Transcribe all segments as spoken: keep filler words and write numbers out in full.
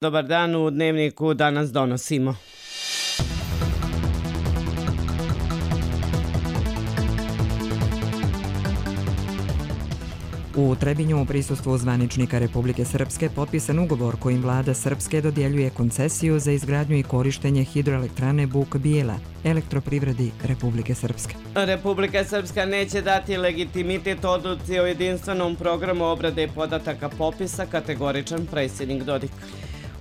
Dobar dan, u Dnevniku danas donosimo. U Trebinju u prisustvu zvaničnika Republike Srpske potpisan ugovor kojim vlada Srpske dodjeljuje koncesiju za izgradnju i korištenje hidroelektrane Buk Bijela, elektroprivredi Republike Srpske. Republika Srpska neće dati legitimitet odluci o jedinstvenom programu obrade podataka popisa, kategoričan predsjednik Dodik.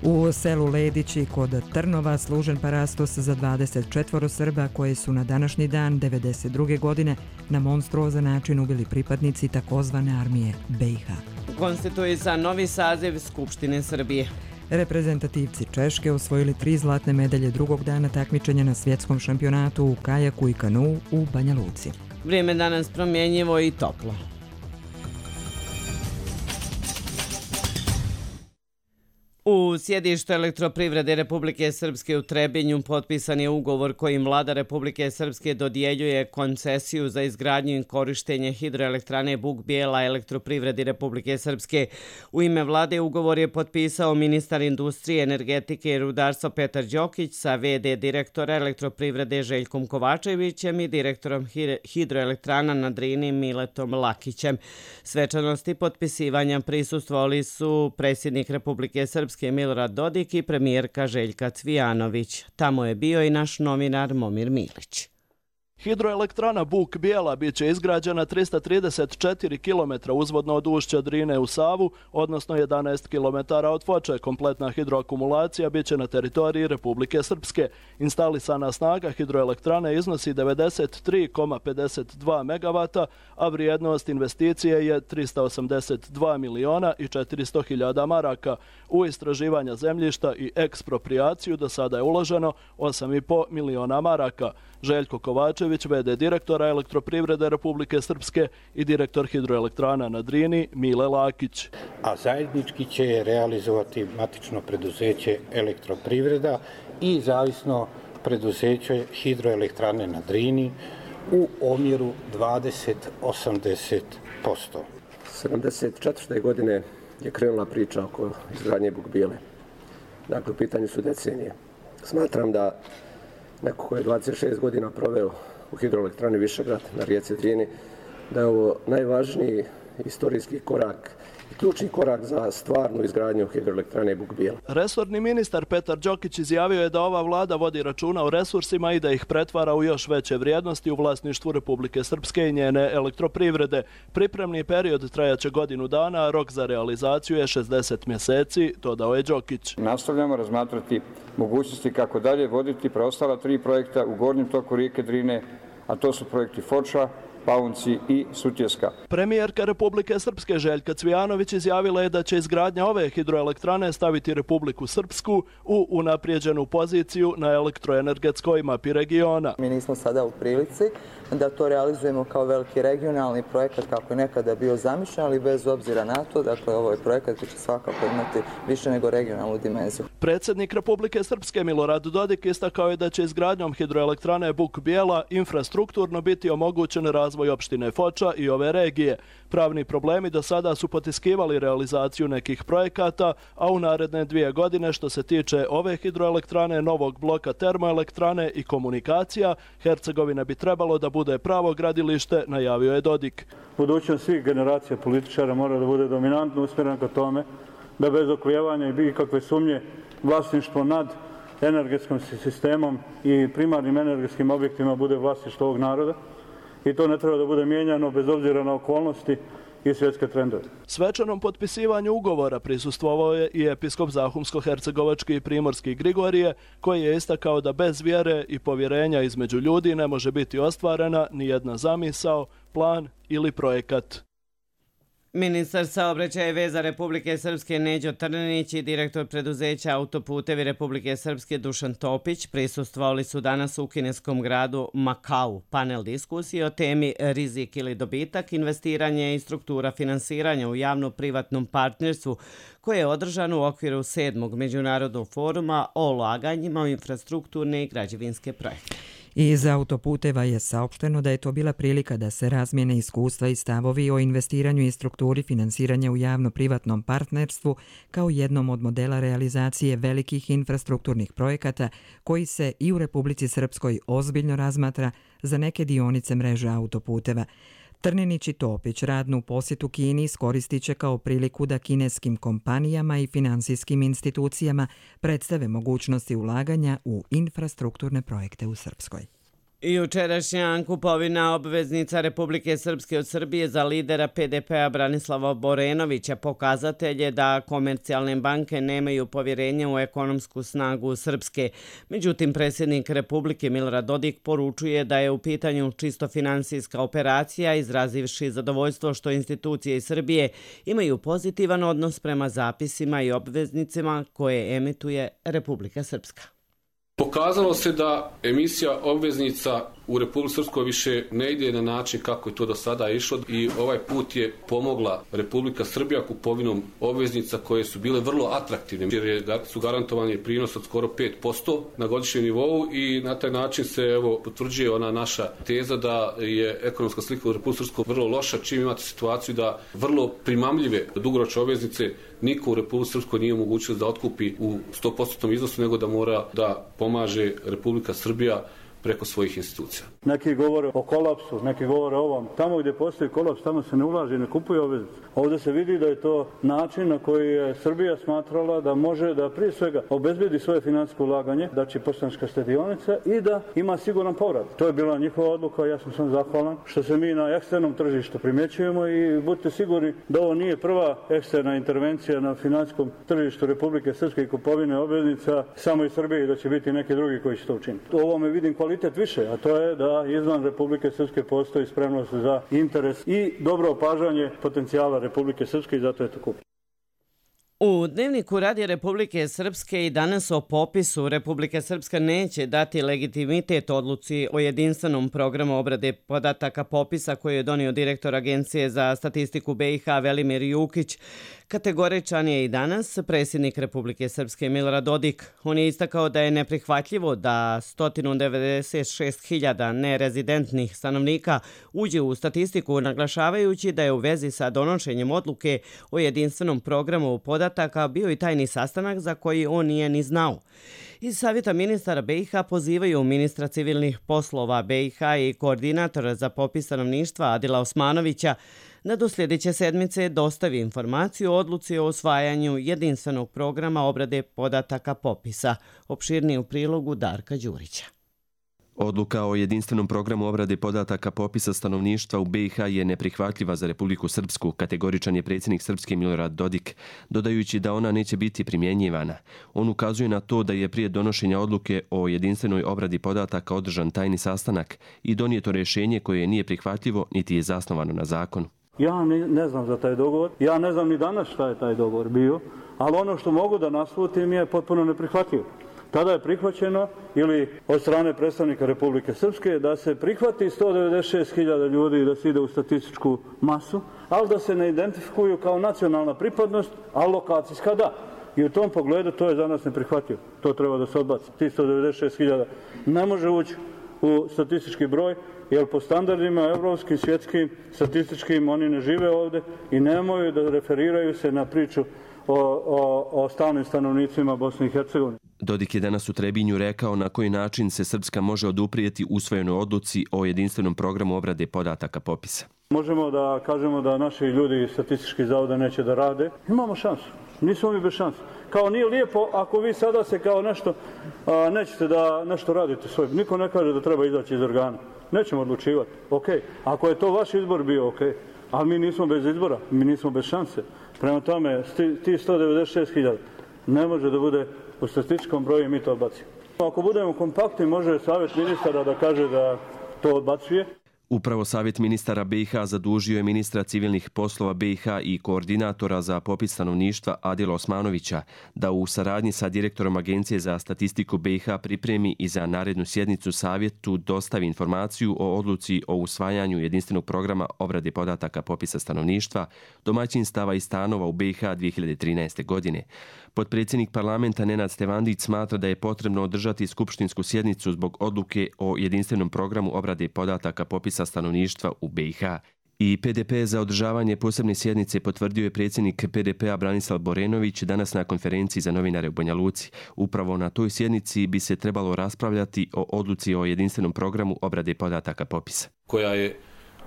U selu Ledići kod Trnova služen parastos za dvadeset četvoro Srba koje su na današnji dan devedeset druge godine na monstruozan način ubili pripadnici takozvane armije B i H. Konstituisan novi saziv Skupštine Srbije. Reprezentativci Češke osvojili tri zlatne medalje drugog dana takmičenja na svjetskom šampionatu u kajaku i kanuu u Banja Luci. Vrijeme danas promjenjivo i toplo. U sjedištu elektroprivrede Republike Srpske u Trebinju potpisan je ugovor kojim vlada Republike Srpske dodjeljuje koncesiju za izgradnju i korištenje hidroelektrane Buk Bijela elektroprivredi Republike Srpske. U ime vlade ugovor je potpisao ministar industrije, energetike i rudarstva Petar Đokić sa ve de direktora elektroprivrede Željkom Kovačevićem i direktorom hidroelektrana na Drini Miletom Lakićem. Svečanosti potpisivanja prisustvovali su predsjednik Republike Srpske Milorad Dodik i premijerka Željka Cvijanović. Tamo je bio i naš novinar Momir Milić. Hidroelektrana Buk Bijela bit će izgrađena trista trideset četiri kilometra uzvodno od ušća Drine u Savu, odnosno jedanaest kilometara od Foče. Kompletna hidroakumulacija bit će na teritoriji Republike Srpske. Instalisana snaga hidroelektrane iznosi devedeset tri zarez pedeset dva megavata, a vrijednost investicije je trista osamdeset dva miliona i četiristo hiljada maraka. U istraživanja zemljišta i eksproprijaciju do sada je uloženo osam i po miliona maraka. Željko Kovačević, ve de direktora elektroprivrede Republike Srpske i direktor hidroelektrana na Drini Mile Lakić. A zajednički će je realizovati matično preduzeće Elektroprivreda i zavisno preduzeće hidroelektrane na Drini u omjeru dvadeset osamdeset posto. sedamdeset četvrte godine je krenula priča oko izgradnje Buk Bijele. Dakle, u pitanju su decenije. Smatram da neko ko je dvadeset šest godina proveo u hidroelektrani Višegrad na rijeci Drini, da je ovo najvažniji istorijski korak i ključni korak za stvarnu izgradnju hidroelektrane Buk Bijela. Resorni ministar Petar Đokić izjavio je da ova vlada vodi računa o resursima i da ih pretvara u još veće vrijednosti u vlasništvu Republike Srpske i njene elektroprivrede. Pripremni period trajaće godinu dana, a rok za realizaciju je šezdeset mjeseci, dodao je Đokić. Nastavljamo razmatrati mogućnosti kako dalje voditi preostala tri projekta u gornjem toku rijeke Drine, a to su projekti Foča, Paunci i Sutjeska. Premijerka Republike Srpske Željka Cvijanović izjavila je da će izgradnja ove hidroelektrane staviti Republiku Srpsku u unaprijeđenu poziciju na elektroenergetskoj mapi regiona. Mi nismo sada u prilici da to realizujemo kao veliki regionalni projekat kako je nekada bio zamišljen, ali bez obzira na to, dakle ovo je projekat koji će svakako imati više nego regionalnu dimenziju. Predsjednik Republike Srpske Milorad Dodik istakao je da će izgradnjom hidroelektrane Buk Bijela infrastrukturno biti omogućen razvoj opštine Foča i ove regije. Pravni problemi do sada su potiskivali realizaciju nekih projekata, a u naredne dvije godine što se tiče ove hidroelektrane, novog bloka termoelektrane i komunikacija, Hercegovina bi trebalo da bude pravo gradilište, najavio je Dodik. Budućnost svih generacija političara mora da bude dominantno usmjerena ka tome da bez oklijevanja i ikakve sumnje vlasništvo nad energetskim sistemom i primarnim energetskim objektima bude vlasništvo ovog naroda. I to ne treba da bude mijenjano bez obzira na okolnosti i svjetske trendove. Svečanom potpisivanju ugovora prisustvovao je i episkop Zahumsko-hercegovački i primorski Grigorije, koji je istakao da bez vjere i povjerenja između ljudi ne može biti ostvarena ni jedna zamisao, plan ili projekat. Ministar saobraćaja i veza Republike Srpske Neđo Trninić i direktor preduzeća Autoputevi Republike Srpske Dušan Topić prisustvovali su danas u kineskom gradu Makau. Panel diskusije o temi rizik ili dobitak, investiranje i struktura finansiranja u javno-privatnom partnerstvu koje je održano u okviru sedmog međunarodnog foruma o ulaganjima u infrastrukturne i građevinske projekte. I iz autoputeva je saopšteno da je to bila prilika da se razmijene iskustva i stavovi o investiranju i strukturi finansiranja u javno-privatnom partnerstvu kao jednom od modela realizacije velikih infrastrukturnih projekata koji se i u Republici Srpskoj ozbiljno razmatra za neke dionice mreže autoputeva. Trninić i Topić radnu posjetu Kini iskoristit će kao priliku da kineskim kompanijama i finansijskim institucijama predstave mogućnosti ulaganja u infrastrukturne projekte u Srpskoj. Jučerašnja kupovina obveznica Republike Srpske od Srbije za lidera P D P-a Branislava Borenovića pokazatelj je da komercijalne banke nemaju povjerenja u ekonomsku snagu Srpske. Međutim, predsjednik Republike Milorad Dodik poručuje da je u pitanju čisto finansijska operacija, izrazivši zadovoljstvo što institucije iz Srbije imaju pozitivan odnos prema zapisima i obveznicima koje emituje Republika Srpska. Pokazalo se da emisija obveznica u Republici Srpskoj više ne ide na način kako je to do sada išlo i ovaj put je pomogla Republika Srbija kupovinom obveznica koje su bile vrlo atraktivne jer su garantovani prinos od skoro pet posto na godišnjem nivou i na taj način se evo potvrđuje ona naša teza da je ekonomska slika u Republici Srpskoj vrlo loša, čim imate situaciju da vrlo primamljive dugoročne obveznice niko u Republici Srpskoj nije omogućio da otkupi u sto posto iznosu, nego da mora da pomaže Republika Srbija preko svojih institucija. Neki govore o kolapsu, neki govore o ovom. Tamo gdje postoji kolaps, tamo se ne ulaže i ne kupuje obveznice. Ovdje se vidi da je to način na koji je Srbija smatrala da može da prije svega obezbedi svoje financijsko ulaganje, da će Poštanska štedionica i da ima siguran povrat. To je bila njihova odluka, ja sam sam zahvalan što se mi na eksternom tržištu primjećujemo i budite sigurni da ovo nije prva eksterna intervencija na financijskom tržištu Republike Srpske i kupovine obveznica samo iz Srbije i da će biti neki drugi koji će to učiniti. U ovome vidim kvalitet više, a to je da izvan Republike Srpske postoji spremnost za interes i dobro opažanje potencijala Republike Srpske i zato je to kupljeno. U Dnevniku Radija Republike Srpske i danas o popisu Republika Srpska neće dati legitimitet odluci o jedinstvenom programu obrade podataka popisa koji je donio direktor Agencije za statistiku B i H Velimir Jukić. Kategoričan je i danas predsjednik Republike Srpske Milorad Dodik. On je istakao da je neprihvatljivo da sto devedeset šest hiljada nerezidentnih stanovnika uđe u statistiku, naglašavajući da je u vezi sa donošenjem odluke o jedinstvenom programu podataka bio i tajni sastanak za koji on nije ni znao. Iz Savjeta ministara B i H pozivaju ministra civilnih poslova B i H i koordinatora za popis stanovništva Adila Osmanovića da do sljedeće sedmice dostavi informaciju o odluci o usvajanju jedinstvenog programa obrade podataka popisa. Opširniji u prilogu Darka Đurića. Odluka o jedinstvenom programu obrade podataka popisa stanovništva u B i H je neprihvatljiva za Republiku Srpsku, kategoričan je predsjednik Srpske Milorad Dodik, dodajući da ona neće biti primjenjivana. On ukazuje na to da je prije donošenja odluke o jedinstvenoj obradi podataka održan tajni sastanak i donijeto rješenje koje nije prihvatljivo niti je zasnovano na zakonu. Ja ne, ne znam za taj dogovor, ja ne znam ni danas šta je taj dogovor bio, ali ono što mogu da naslutim je potpuno neprihvatljivo. Tada je prihvaćeno ili od strane predstavnika Republike Srpske da se prihvati sto devedeset šest hiljada ljudi da se ide u statističku masu, ali da se ne identifikuju kao nacionalna pripadnost, a lokacijska da. I u tom pogledu to je za nas neprihvatljivo. To treba da se odbaci. Ti sto devedeset šest hiljada ne može ući u statistički broj, jer po standardima evropskim, svjetskim, statističkim oni ne žive ovdje i nemaju da referiraju se na priču o, o, o stalnim stanovnicima Bosne i Hercegovine. Dodik je danas u Trebinju rekao na koji način se Srpska može oduprijeti usvojenoj odluci o jedinstvenom programu obrade podataka popisa. Možemo da kažemo da naši ljudi iz statističkih zavoda neće da rade. Imamo šansu. Nismo mi bez šanse. Kao nije lijepo ako vi sada se kao nešto a, nećete da nešto radite svoj. Niko ne kaže da treba izaći iz organa. Nećemo odlučivati. Ok. Ako je to vaš izbor bio, ok. Ali mi nismo bez izbora. Mi nismo bez šanse. Prema tome, ti sto devedeset šest hiljada ne može da bude u statističkom broju i mi to odbacimo. Ako budemo kompaktni, može Savjet ministara da kaže da to odbacuje. Upravo Savjet ministara B i H zadužio je ministra civilnih poslova B i H i koordinatora za popis stanovništva Adila Osmanovića da u saradnji sa direktorom Agencije za statistiku B i H pripremi i za narednu sjednicu Savjetu dostavi informaciju o odluci o usvajanju jedinstvenog programa obrade podataka popisa stanovništva, domaćinstava i stanova u B i H dvije hiljade trinaeste. godine. Potpredsjednik parlamenta Nenad Stevandić smatra da je potrebno održati skupštinsku sjednicu zbog odluke o jedinstvenom programu obrade podataka popisa stanovništva u B i H. I P D P za održavanje posebne sjednice potvrdio je predsjednik P D P-a Branislav Borenović danas na konferenciji za novinare u Banja Luci. Upravo na toj sjednici bi se trebalo raspravljati o odluci o jedinstvenom programu obrade podataka popisa. Koja je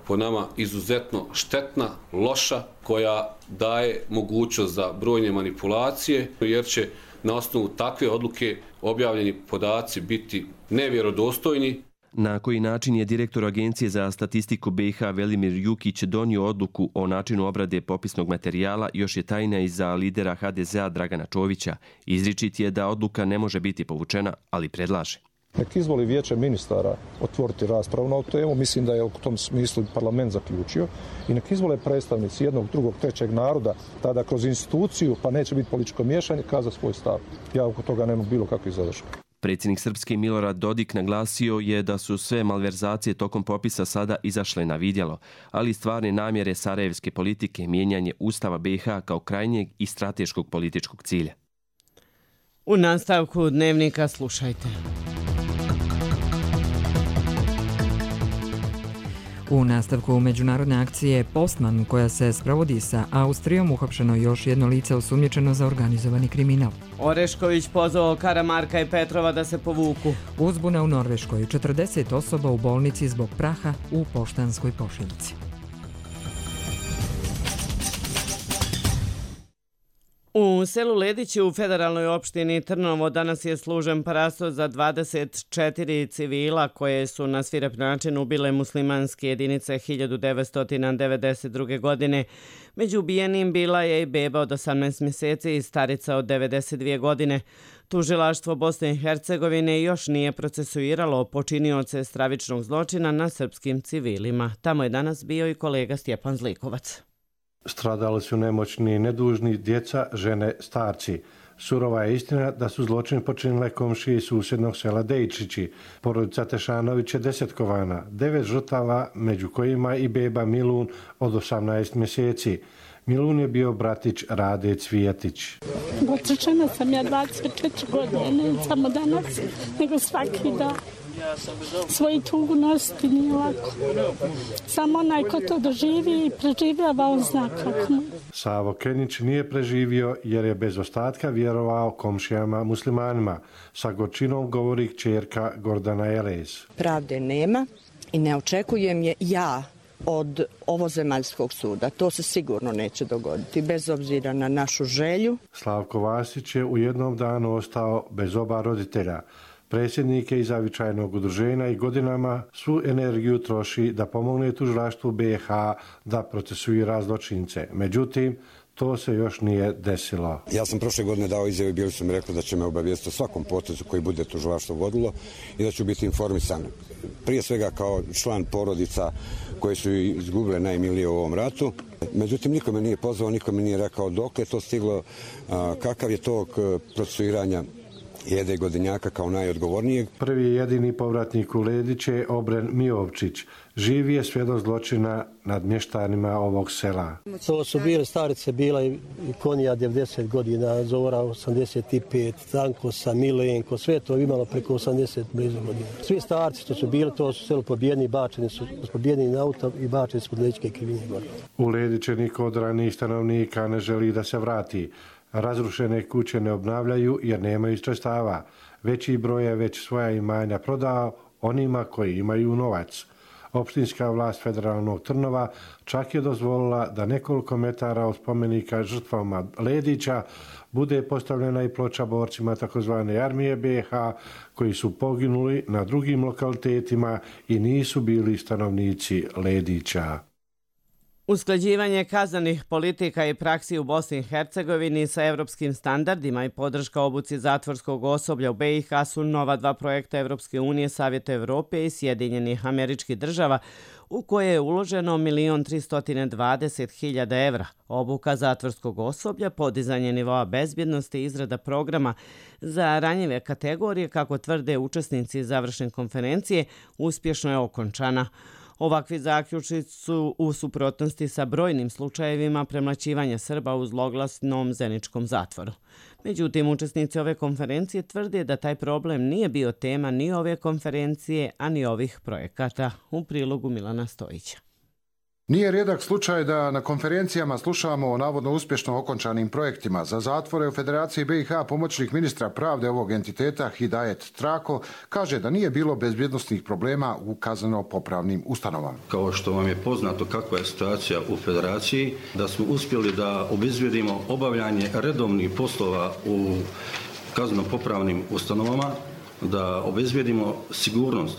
po nama izuzetno štetna, loša, koja daje mogućnost za brojne manipulacije, jer će na osnovu takve odluke objavljeni podaci biti nevjerodostojni. Na koji način je direktor Agencije za statistiku B i H Velimir Jukić donio odluku o načinu obrade popisnog materijala još je tajna i za lidera H D Z-a Dragana Čovića. Izričit je da odluka ne može biti povučena, ali predlaže. Nek izvoli vijeće ministara otvoriti raspravu na ovu temu, mislim da je u tom smislu parlament zaključio, i nek izvole predstavnici jednog, drugog, trećeg naroda, tada kroz instituciju, pa neće biti političko miješanje, kaza svoj stav. Ja oko toga nemam bilo kakvih zadršaka. Predsjednik Srpske Milorad Dodik naglasio je da su sve malverzacije tokom popisa sada izašle na vidjelo, ali stvarne namjere sarajevske politike mijenjanje Ustava B i H kao krajnjeg i strateškog političkog cilja. U nastavku Dnevnika slušajte. U nastavku međunarodne akcije Postman, koja se sprovodi sa Austrijom, uhapšeno još jedno lice osumnjičeno za organizovani kriminal. Orešković pozvao Karamarka i Petrova da se povuku. Uzbuna u Norveškoj, četrdeset osoba u bolnici zbog praha u poštanskoj pošiljci. U selu Ledići u federalnoj opštini Trnovo danas je služen parasto za dvadeset četiri civila koje su na svirep način ubile muslimanske jedinice hiljadu devetsto devedeset druge. godine. Među ubijenim bila je i beba od osamnaest mjeseci i starica od devedeset dvije. godine. Tužilaštvo Bosne i Hercegovine još nije procesuiralo počinioce stravičnog zločina na srpskim civilima. Tamo je danas bio i kolega Stjepan Zlikovac. Stradali su nemoćni, nedužni, djeca, žene, starci. Surova je istina da su zločin počinile komšije iz susjednog sela Dejčići. Porodica Tešanović je desetkovana, devet žrtava, među kojima i beba Milun od osamnaest mjeseci. Milun je bio bratić Rade Cvijetić. Otrčena sam ja dvadeset četiri godine, ne samo danas, nego svaki dan. Svoju tugu nositi nije lako. Samo onaj ko to doživi i preživljava, on zna kako. Savo Kenić nije preživio jer je bez ostatka vjerovao komšijama muslimanima. Sa gorčinom govori kćerka Gordana Elez. Pravde nema i ne očekujem je ja od ovozemaljskog suda. To se sigurno neće dogoditi, bez obzira na našu želju. Slavko Vasić je u jednom danu ostao bez oba roditelja. Predsjednik je iz zavičajnog udruženja i godinama svu energiju troši da pomogne tužilaštvu B i H da procesuira zločince. Međutim, to se još nije desilo. Ja sam prošle godine dao izjavu i bili su mi rekli da će me obavijestiti o svakom potezu koji bude tužilaštvo vodilo i da ću biti informisan. Prije svega kao član porodica koje su izgubile najmilije u ovom ratu. Međutim, niko me nije pozvao, niko mi nije rekao dok je to stiglo, kakav je tog procesuiranja Jede Godinjaka kao najodgovornijeg. Prvi i jedini povratnik u Ledić je Obren Mijovčić. Živi je svjedok zločina nad mještanima ovog sela. To su bile starice, bila i Konija devedeset godina, Zora osamdeset pet, Tankosa, Milenko, sve to imalo preko osamdeset blizu godina. Svi starci što su bili, to su selo pobijeni, bačeni su pobijeni na auto i bačeni su kod Ledićke krivine gore. U Lediće niko od ranijih stanovnika ne želi da se vrati. Razrušene kuće ne obnavljaju jer nemaju sredstava. Veći broj je već svoja imanja prodao onima koji imaju novac. Opštinska vlast federalnog Trnova čak je dozvolila da nekoliko metara od spomenika žrtvama Ledića bude postavljena i ploča borcima takozvane armije B i H koji su poginuli na drugim lokalitetima i nisu bili stanovnici Ledića. Usklađivanje kaznenih politika i praksi u Bosni i Hercegovini sa evropskim standardima i podrška obuci zatvorskog osoblja u B i H su nova dva projekta Evropske unije, Savjeta Evrope i Sjedinjenih Američkih Država, u koje je uloženo milion tristo dvadeset hiljada evra. Obuka zatvorskog osoblja, podizanje nivoa bezbjednosti i izrada programa za ranjive kategorije, kako tvrde učesnici završne konferencije, uspješno je okončana. Ovakvi zaključci su u suprotnosti sa brojnim slučajevima premlaćivanja Srba u zloglasnom Zeničkom zatvoru. Međutim, učesnici ove konferencije tvrde da taj problem nije bio tema ni ove konferencije, a ni ovih projekata. U prilogu Milana Stojića. Nije rijedak slučaj da na konferencijama slušamo o navodno uspješno okončanim projektima. Za zatvore u Federaciji B i H pomoćnik ministra pravde ovog entiteta Hidajet Trako kaže da nije bilo bezbjednosnih problema u kazneno-popravnim ustanovama. Kao što vam je poznato kakva je situacija u Federaciji, da smo uspjeli da obezbjedimo obavljanje redovnih poslova u kazneno-popravnim ustanovama, da obezbjedimo sigurnost,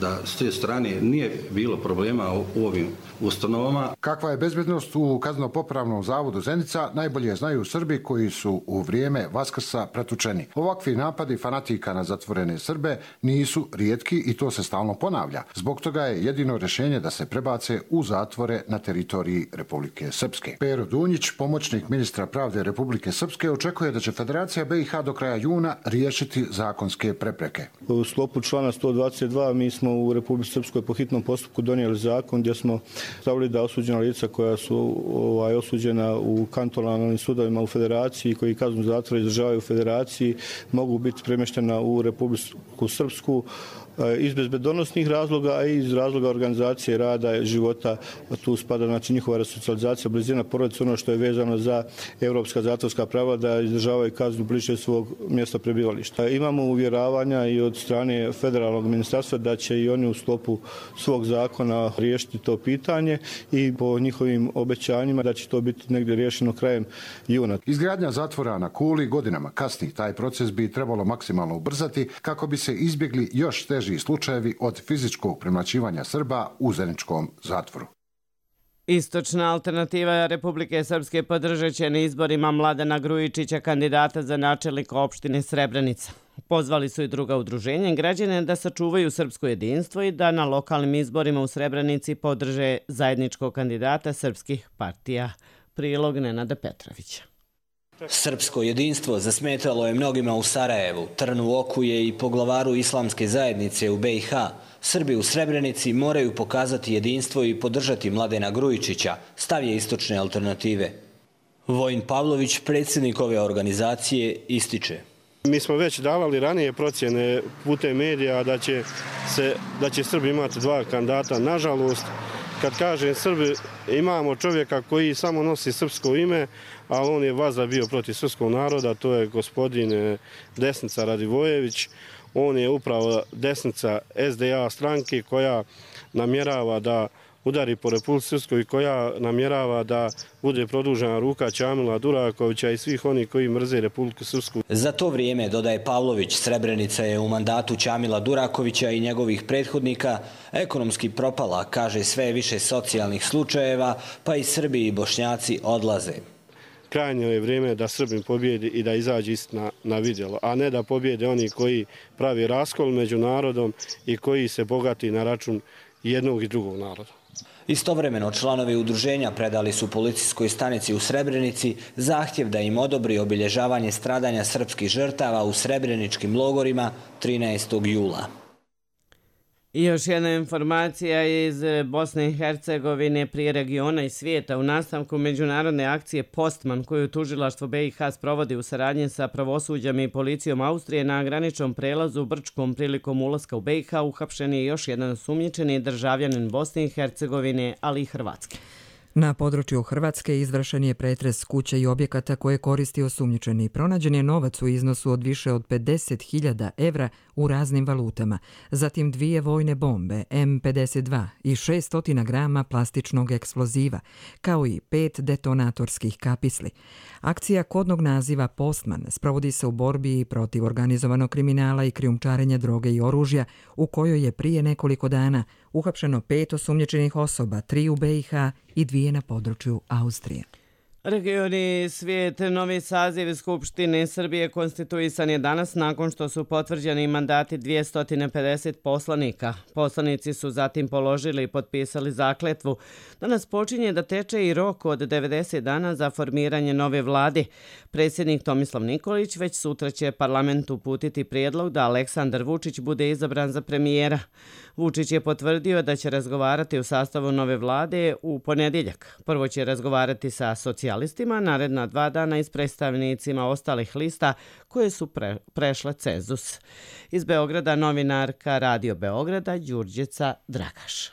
da s te strane nije bilo problema u ovim ustanovama. Kakva je bezbednost u kazneno-popravnom zavodu Zenica najbolje znaju Srbi koji su u vrijeme Vaskrsa pretučeni. Ovakvi napadi fanatika na zatvorene Srbe nisu rijetki i to se stalno ponavlja. Zbog toga je jedino rješenje da se prebace u zatvore na teritoriji Republike Srpske. Pero Dunjić, pomoćnik ministra pravde Republike Srpske, očekuje da će Federacija B i H do kraja juna riješiti zakonske prepreke. U sklopu člana sto dvadeset dva mi smo u Republici Srpskoj po hitnom postupku donijeli zakon gdje smo stavili da osuđena lica koja su ovaj, osuđena u kantonalnim sudovima u Federaciji, koji kaznu zatvora izdržavaju u Federaciji, mogu biti premještena u Republiku Srpsku iz bezbednosnih razloga, a i iz razloga organizacije rada i života. Tu spada znači njihova resocijalizacija, blizina porodice, ono što je vezano za evropska zatvorska prava, da izdržavaju kaznu bliže svog mjesta prebivališta. Imamo uvjeravanja i od strane federalnog ministarstva da će i oni u sklopu svog zakona riješiti to pitanje i po njihovim obećanjima da će to biti negdje riješeno krajem juna. Izgradnja zatvora na Kuli godinama kasni. Taj proces bi trebalo maksimalno ubrzati kako bi se izbjegli još teži slučajevi od fizičkog premlaćivanja Srba u zeničkom zatvoru. Istočna alternativa Republike Srpske podržat će na izborima Mladena Grujičića, kandidata za načelnika opštine Srebrenica. Pozvali su i druga udruženja i građane da sačuvaju srpsko jedinstvo i da na lokalnim izborima u Srebrenici podrže zajedničkog kandidata srpskih partija. Prilog Nenada Petrovića. Srpsko jedinstvo zasmetalo je mnogima u Sarajevu, trn u oku je i poglavaru islamske zajednice u B i H. Srbi u Srebrenici moraju pokazati jedinstvo i podržati Mladena Grujičića, stav je istočne alternative. Vojin Pavlović, predsjednik ove organizacije, ističe. Mi smo već davali ranije procjene putem medija da će, se, da će Srbi imati dva kandidata. Nažalost, kad kažem Srbi, imamo čovjeka koji samo nosi srpsko ime, a on je vaza bio protiv srpskog naroda, to je gospodin Desnica Radivojević. On je upravo desnica S D A stranke koja namjerava da udari po Republici Srpskoj i koja namjerava da bude produžena ruka Čamila Durakovića i svih onih koji mrze Republiku Srpsku. Za to vrijeme, dodaje Pavlović, Srebrenica je u mandatu Čamila Durakovića i njegovih prethodnika ekonomski propala, kaže sve više socijalnih slučajeva, pa i Srbi i Bošnjaci odlaze. Krajnje je vrijeme da Srbin pobjedi i da izađe istina na vidjelo, a ne da pobjede oni koji pravi raskol među narodom i koji se bogati na račun jednog i drugog naroda. Istovremeno članovi udruženja predali su policijskoj stanici u Srebrenici zahtjev da im odobri obilježavanje stradanja srpskih žrtava u srebreničkim logorima trinaestog jula. I još jedna informacija iz Bosne i Hercegovine, prije regiona i svijeta. U nastavku međunarodne akcije Postman, koju tužilaštvo B i H sprovodi u saradnji sa pravosuđem i policijom Austrije na graničnom prelazu u Brčkom prilikom ulaska u B i H, uhapšen je još jedan osumnjičeni državljanin Bosne i Hercegovine, ali i Hrvatske. Na području Hrvatske izvršen je pretres kuće i objekata koje koristi osumnjičeni. Pronađen je novac u iznosu od više od pedeset hiljada evra u raznim valutama, zatim dvije vojne bombe M pedeset dva i šessto grama plastičnog eksploziva, kao i pet detonatorskih kapisli. Akcija kodnog naziva Postman sprovodi se u borbi protiv organizovanog kriminala i krijumčarenja droge i oružja, u kojoj je prije nekoliko dana uhapšeno pet osumnjičenih osoba, tri u B i H i dvije na području Austrije. Regioni svijet, novi saziv Skupštine Srbije konstituisan je danas nakon što su potvrđeni mandati dvjesto pedeset poslanika. Poslanici su zatim položili i potpisali zakletvu. Danas počinje da teče i rok od devedeset dana za formiranje nove vlade. Predsjednik Tomislav Nikolić već sutra će parlamentu uputiti prijedlog da Aleksandar Vučić bude izabran za premijera. Vučić je potvrdio da će razgovarati u sastavu nove vlade u ponedjeljak. Prvo će razgovarati sa socijalnim socijalistima, naredna dva dana i s predstavnicima ostalih lista koje su pre, prešle cenzus. Iz Beograda novinarka Radio Beograda Đurđica Dragaš.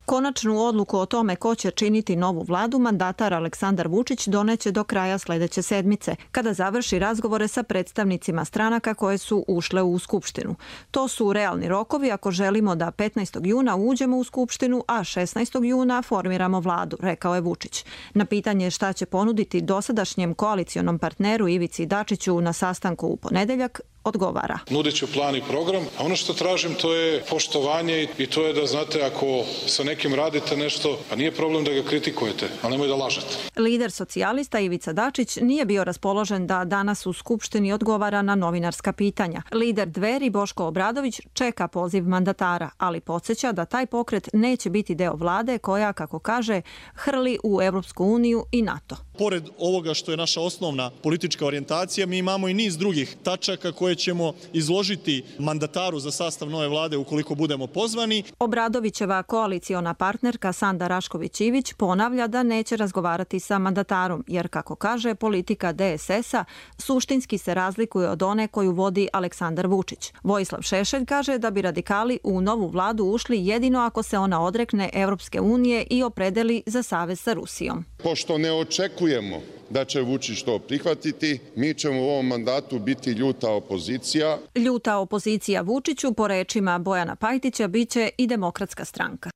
Konačnu odluku o tome ko će činiti novu vladu mandatar Aleksandar Vučić doneće do kraja sledeće sedmice, kada završi razgovore sa predstavnicima stranaka koje su ušle u Skupštinu. To su realni rokovi ako želimo da petnaestog juna uđemo u Skupštinu, a šesnaestog juna formiramo vladu, rekao je Vučić. Na pitanje šta će ponuditi dosadašnjem koalicionom partneru Ivici Dačiću na sastanku u ponedeljak, odgovara. Nudit ću plan i program, a ono što tražim to je poštovanje i to je da, znate, ako sa nekim radite nešto, pa nije problem da ga kritikujete, ali nemoj da lažete. Lider socijalista Ivica Dačić nije bio raspoložen da danas u Skupštini odgovara na novinarska pitanja. Lider Dveri Boško Obradović čeka poziv mandatara, ali podsjeća da taj pokret neće biti deo vlade koja, kako kaže, hrli u Evropsku uniju i NATO. Pored ovoga što je naša osnovna politička orijentacija, mi imamo i niz drugih tačaka koje ćemo izložiti mandataru za sastav nove vlade ukoliko budemo pozvani. Obradovićeva koaliciona partnerka Sanda Rašković-Ivić ponavlja da neće razgovarati sa mandatarom, jer, kako kaže, politika D S S-a suštinski se razlikuje od one koju vodi Aleksandar Vučić. Vojislav Šešelj kaže da bi radikali u novu vladu ušli jedino ako se ona odrekne Evropske unije i opredeli za savez sa Rusijom. Pošto ne očekujemo da će Vučić to prihvatiti, mi ćemo u ovom mandatu biti ljuta opozicija. Ljuta opozicija Vučiću, po rečima Bojana Pajtića, biće i Demokratska stranka.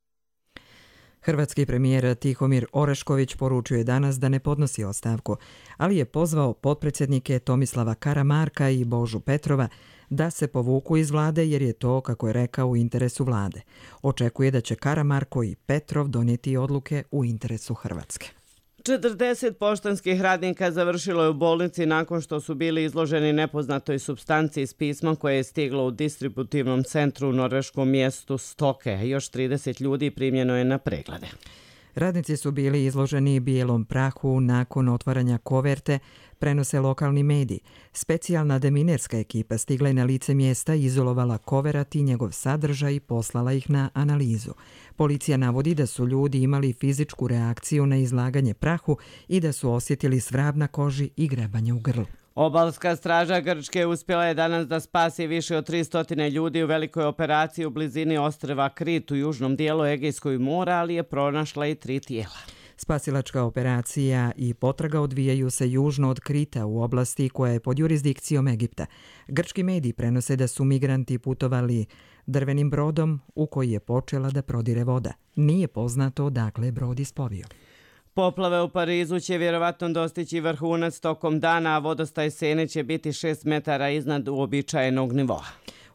Hrvatski premijer Tihomir Orešković poručio je danas da ne podnosi ostavku, ali je pozvao potpredsjednike Tomislava Karamarka i Božu Petrova da se povuku iz vlade jer je to, kako je rekao, u interesu vlade. Očekuje da će Karamarko i Petrov donijeti odluke u interesu Hrvatske. četrdeset poštanskih radnika završilo je u bolnici nakon što su bili izloženi nepoznatoj supstanciji s pismom koje je stiglo u distributivnom centru u norveškom mjestu Stoke. Još trideset ljudi primljeno je na preglede. Radnici su bili izloženi bijelom prahu nakon otvaranja koverte, prenose lokalni mediji. Specijalna deminerska ekipa stigla je na lice mjesta, izolovala koverat i njegov sadržaj i poslala ih na analizu. Policija navodi da su ljudi imali fizičku reakciju na izlaganje prahu i da su osjetili svrab na koži i grebanje u grlu. Obalska straža Grčke uspjela je danas da spasi više od tristo ljudi u velikoj operaciji u blizini ostrva Krit u južnom dijelu Egejskog mora, ali je pronašla i tri tijela. Spasilačka operacija i potraga odvijaju se južno od Krita u oblasti koja je pod jurisdikcijom Egipta. Grčki mediji prenose da su migranti putovali drvenim brodom u koji je počela da prodire voda. Nije poznato odakle je brod ispovio. Poplave u Parizu će vjerovatno dostići vrhunac tokom dana, a vodostaj Sene će biti šest metara iznad uobičajenog nivoa.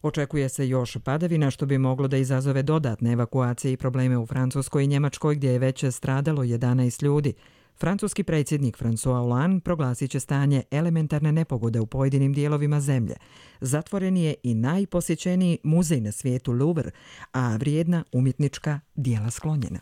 Očekuje se još padavina što bi moglo da izazove dodatne evakuacije i probleme u Francuskoj i Njemačkoj gdje je već stradalo jedanaest ljudi. Francuski predsjednik François Hollande proglasit će stanje elementarne nepogode u pojedinim dijelovima zemlje. Zatvoren je i najposjećeniji muzej na svijetu Louvre, a vrijedna umjetnička dijela sklonjena.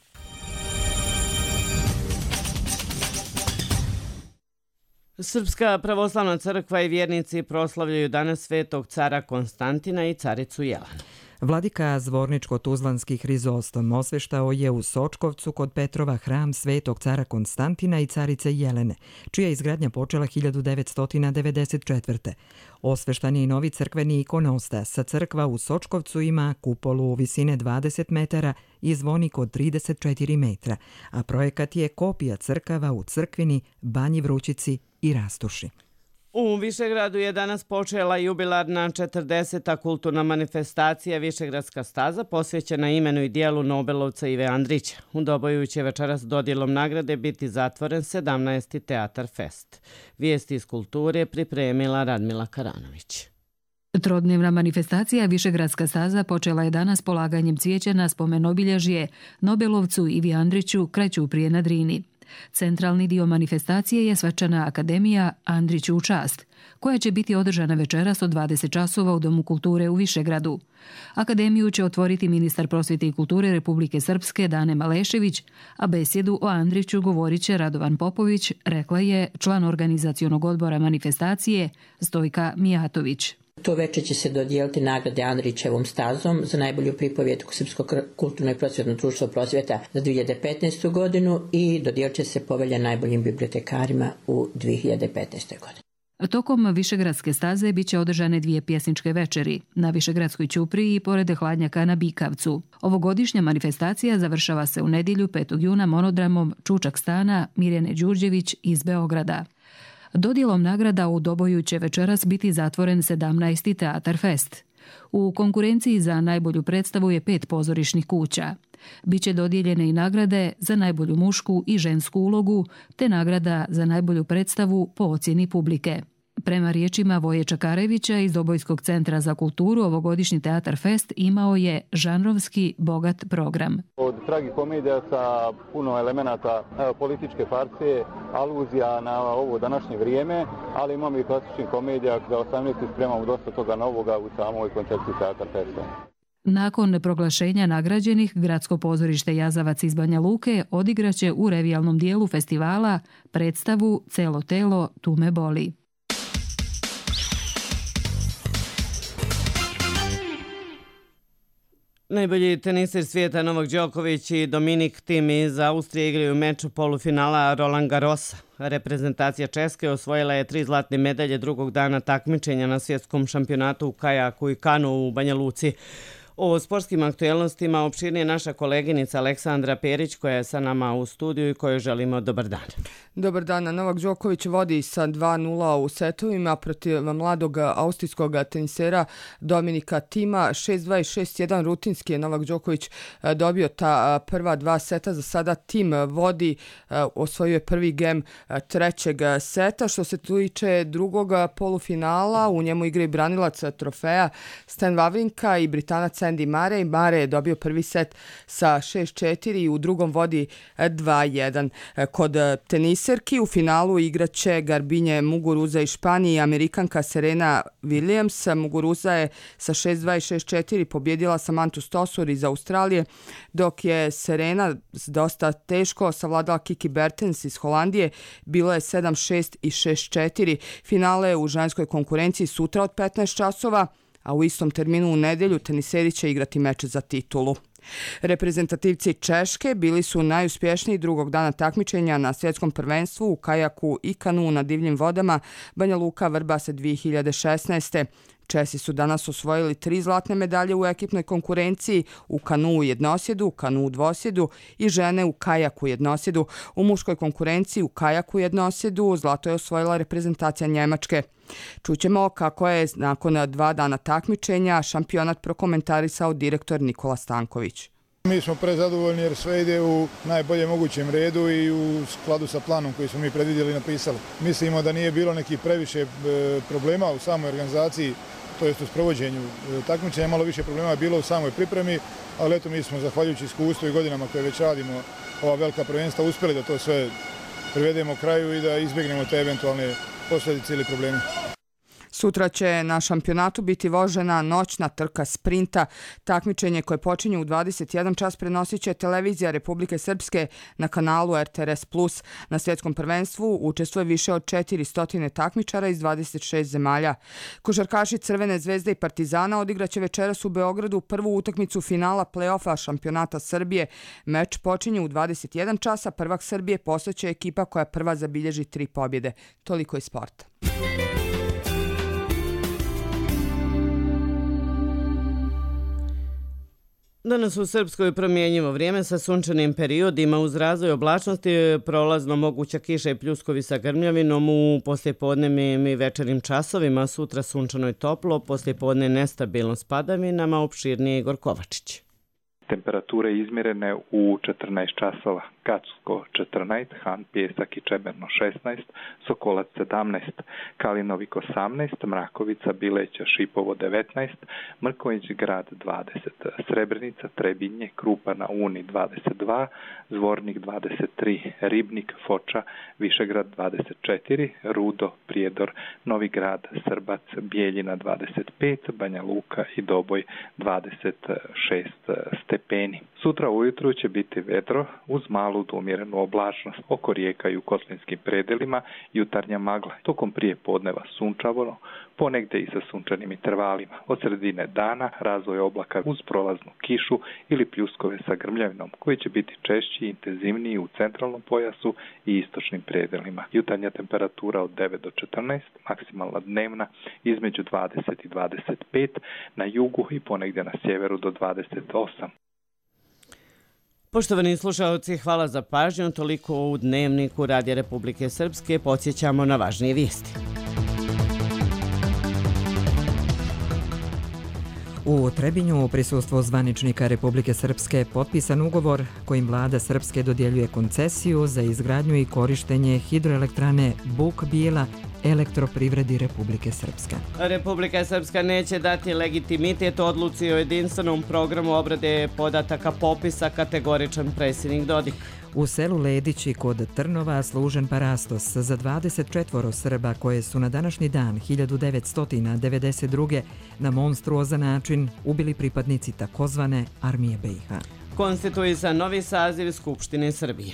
Srpska pravoslavna crkva i vjernici proslavljaju danas svetog cara Konstantina i caricu Jelenu. Vladika Zvorničko-Tuzlanski Hrizostom osveštao je u Sočkovcu kod Petrova hram svetog cara Konstantina i carice Jelene, čija je izgradnja počela hiljadu devetsto devedeset četvrte. Osveštan je i novi crkveni ikonostas, sa crkva u Sočkovcu ima kupolu visine dvadeset metara i zvonik od trideset četiri metra, a projekat je kopija crkava u Crkvini, Banji Vrućici i Rastuši. U Višegradu je danas počela jubilarna četrdeseta kulturna manifestacija Višegradska staza posvećena imenu i dijelu Nobelovca Ive Andrića. U Doboju će večeras dodjelom nagrade biti zatvoren sedamnaesti Teatar Fest. Vijesti iz kulture pripremila Radmila Karanović. Trodnevna manifestacija Višegradska staza počela je danas polaganjem cvijeća na spomen obilježje Nobelovcu Ivi Andriću kraću prije na Drini. Centralni dio manifestacije je svečana akademija Andriću u čast, koja će biti održana večeras od dvadeset časova u Domu kulture u Višegradu. Akademiju će otvoriti ministar prosvjete i kulture Republike Srpske Dane Malešević, a besjedu o Andriću govorit će Radovan Popović, rekla je član organizacionog odbora manifestacije Stojka Mijatović. To veče će se dodijeliti nagrade Andrićevom stazom za najbolju pripovjetku Srpsko kulturno i prosvjetno društvo Prosvjeta za dvije hiljade petnaestu. godinu i dodijelit će se povelja najboljim bibliotekarima u dvije hiljade petnaestoj. godini. Tokom Višegradske staze bit će održane dvije pjesničke večeri na Višegradskoj ćupriji i pored hladnjaka na Bikavcu. Ovogodišnja manifestacija završava se u nedjelju petog juna monodramom Čučak stana Mirjane Đurđević iz Beograda. Dodjelom nagrada u Doboju će večeras biti zatvoren sedamnaesti Teatar Fest. U konkurenciji za najbolju predstavu je pet pozorišnih kuća. Biće dodijeljene i nagrade za najbolju mušku i žensku ulogu, te nagrada za najbolju predstavu po ocjeni publike. Prema riječima Voje Čakarevića iz Dobojskog centra za kulturu, ovogodišnji Teatar Fest imao je žanrovski bogat program. Od tragikomedija sa puno elemenata političke farse, aluzija na ovo današnje vrijeme, ali imamo i klasičnih komedija za osamnaesti spremamo dosta toga novoga u samoj koncepciji Teatar Festa. Nakon proglašenja nagrađenih, Gradsko pozorište Jazavac iz Banja Luke odigraće u revijalnom dijelu festivala predstavu Celo telo tu me boli. Najbolji teniser svijeta Novak Đoković i Dominik Thiem iz Austrije igraju meč polufinala Roland Garrosa. Reprezentacija Česke osvojila je tri zlatne medalje drugog dana takmičenja na svjetskom šampionatu u kajaku i kanu u Banja Luci. O sportskim aktuelnostima opširnije naša koleginica Aleksandra Perić koja je sa nama u studiju i kojoj želimo dobar dan. Dobar dan. Novak Đoković vodi sa dva nula u setovima protiv mladog austrijskog tenisera Dominika Thiema. šest dva i šest jedan rutinski je Novak Đoković dobio ta prva dva seta. Za sada Thiem vodi, osvojio je prvi gem trećeg seta. Što se tiče drugog polufinala, u njemu igra i branilac trofeja Stan Wawrinka i Britanac Andy Murray. Murray je dobio prvi set sa šest četiri i u drugom vodi dva jedan. Kod teniserki u finalu igraće Garbinje Muguruza iz Španije i Amerikanka Serena Williams. Muguruza je sa šest dva i šest četiri pobjedila Samantu Stosur iz Australije, dok je Serena dosta teško savladala Kiki Bertens iz Holandije. Bilo je sedam šest i šest četiri. Finale u ženskoj konkurenciji sutra od petnaest časova, a u istom terminu u nedjelju teniseri će igrati meč za titulu. Reprezentativci Češke bili su najuspješniji drugog dana takmičenja na svjetskom prvenstvu u kajaku i kanu na divljim vodama Banja Luka Vrbas dvije hiljade šesnaeste. Česi su danas osvojili tri zlatne medalje u ekipnoj konkurenciji u kanu u jednosjedu, kanu u dvosjedu i žene u kajaku jednosjedu. U muškoj konkurenciji u kajaku jednosjedu zlato je osvojila reprezentacija Njemačke. Čućemo kako je nakon dva dana takmičenja šampionat prokomentarisao direktor Nikola Stanković. Mi smo prezadovoljni jer sve ide u najboljem mogućem redu i u skladu sa planom koji smo mi predvidjeli i napisali. Mislimo da nije bilo nekih previše problema u samoj organizaciji, to jest u sprovođenju takmičenja. Malo više problema je bilo u samoj pripremi, ali eto mi smo zahvaljujući iskustvu i godinama koje već radimo ova velika prvenstva uspjeli da to sve privedemo kraju i da izbjegnemo te eventualne posljedice ili probleme. Sutra će na šampionatu biti vožena noćna trka sprinta. Takmičenje koje počinje u dvadeset jedan čas prenosit će televizija Republike Srpske na kanalu R T R S plus. Na svjetskom prvenstvu učestvuje više od četiristo takmičara iz dvadeset šest zemalja. Košarkaši Crvene zvezde i Partizana odigraće večeras u Beogradu prvu utakmicu finala play-offa šampionata Srbije. Meč počinje u dvadeset jedan časa. Prvak Srbije postaće ekipa koja prva zabilježi tri pobjede. Toliko iz sporta. Danas u Srpskoj promjenjivo vrijeme sa sunčanim periodima uz razvoj oblačnosti, prolazno moguća kiša i pljuskovi sa grmljavinom u poslijepodnevnim i večernim časovima, sutra sunčano i toplo, poslijepodne nestabilno s padavinama, opširnije Igor Kovačić. Temperature izmjerene u četrnaest časova. Kacko četrnaest, Han, Pjesak i Čemerno šesnaest, Sokolac sedamnaest, Kalinovik osamnaest, Mrakovica, Bileća, Šipovo devetnaest, Mrković grad dvadeset, Srebrenica, Trebinje, Krupa na Uni dvadeset dva, Zvornik dvadeset tri, Ribnik, Foča, Višegrad dvadeset četiri, Rudo, Prijedor, Novi grad, Srbac, Bijeljina dvadeset pet, Banja Luka i Doboj dvadeset šest stepeni. Sutra ujutru će biti vedro uz malu malu do umjerenu oblačnost. Oko rijeka i u kotlinskim predelima jutarnja magla. Tokom prije podneva sunčavo, ponegde i sa sunčanim intervalima. Od sredine dana razvoj oblaka uz prolaznu kišu ili pljuskove sa grmljavinom, koji će biti češći i intenzivniji u centralnom pojasu i istočnim predelima. Jutarnja temperatura od devet do četrnaest, maksimalna dnevna između dvadeset i dvadeset pet, na jugu i ponegde na sjeveru do dvadeset osam. Poštovani slušalci, hvala za pažnju. Toliko u Dnevniku Radija Republike Srpske. Podsjećamo na važnije vijesti. U Trebinju u prisustvu zvaničnika Republike Srpske potpisan ugovor kojim vlada Srpske dodjeljuje koncesiju za izgradnju i korištenje hidroelektrane Buk Bijela Elektroprivredi Republike Srpske. Republika Srpska neće dati legitimitet odluci o jedinstvenom programu obrade podataka popisa, kategoričan predsjednik Dodik. U selu Ledići kod Trnova služen parastos za dvadeset četvoro Srba koje su na današnji dan hiljadu devetsto devedeset druge na monstruozan način ubili pripadnici takozvane Armije B i H. Konstituisan novi saziv Skupštine Srbije.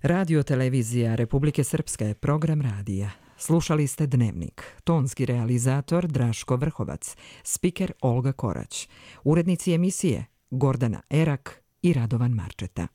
Radio televizija Republike Srpske, program radija. Slušali ste Dnevnik. Tonski realizator Draško Vrhovac, spiker Olga Korać, urednici emisije Gordana Erak i Radovan Marčeta.